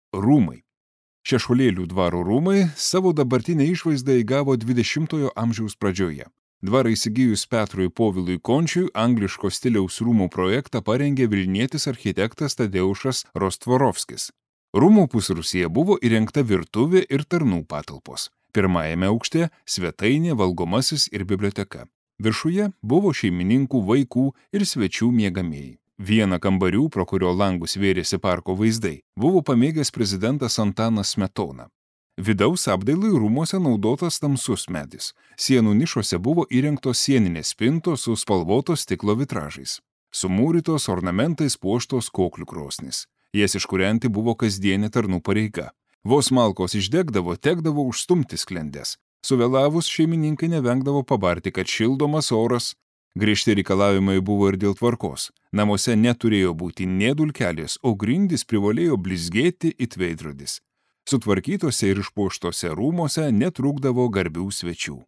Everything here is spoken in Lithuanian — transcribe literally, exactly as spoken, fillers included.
Rūmai. Šešuolėlių dvaro rūmai savo dabartinę išvaizdą įgavo dvidešimtojo amžiaus pradžioje. Dvarą įsigijus Petrui Povilui Končiui angliško stiliaus rūmų projektą parengė vilnietis architektas Tadeušas Rostvorovskis. Rūmų pusrūsyje buvo įrengta virtuvė ir tarnų patalpos. Pirmajame aukšte svetainė, valgomasis ir biblioteka. Viršuje buvo šeimininkų, vaikų ir svečių miegamieji. Vieną kambarių, pro kurio langus vėrėsi parko vaizdai, buvo pamėgęs prezidentas Antanas Smetona. Vidaus apdailai rūmuose naudotas tamsus medis. Sienų nišose buvo įrengtos sieninės spintos su spalvotos stiklo vitražais. Sumūrytos ornamentais puoštos koklių krosnys. Jas iškūrenti buvo kasdienė tarnų pareiga. Vos malkos išdegdavo, tekdavo užstumti sklendes. Suvėlavus šeimininkai nevengdavo pabarti, kad šildomas oras. Griežti reikalavimai buvo ir dėl tvarkos. Namuose neturėjo būti nė dulkelės, o grindys privalėjo blizgėti it veidrodis. Sutvarkytose ir išpuoštose rūmuose netrūkdavo garbių svečių.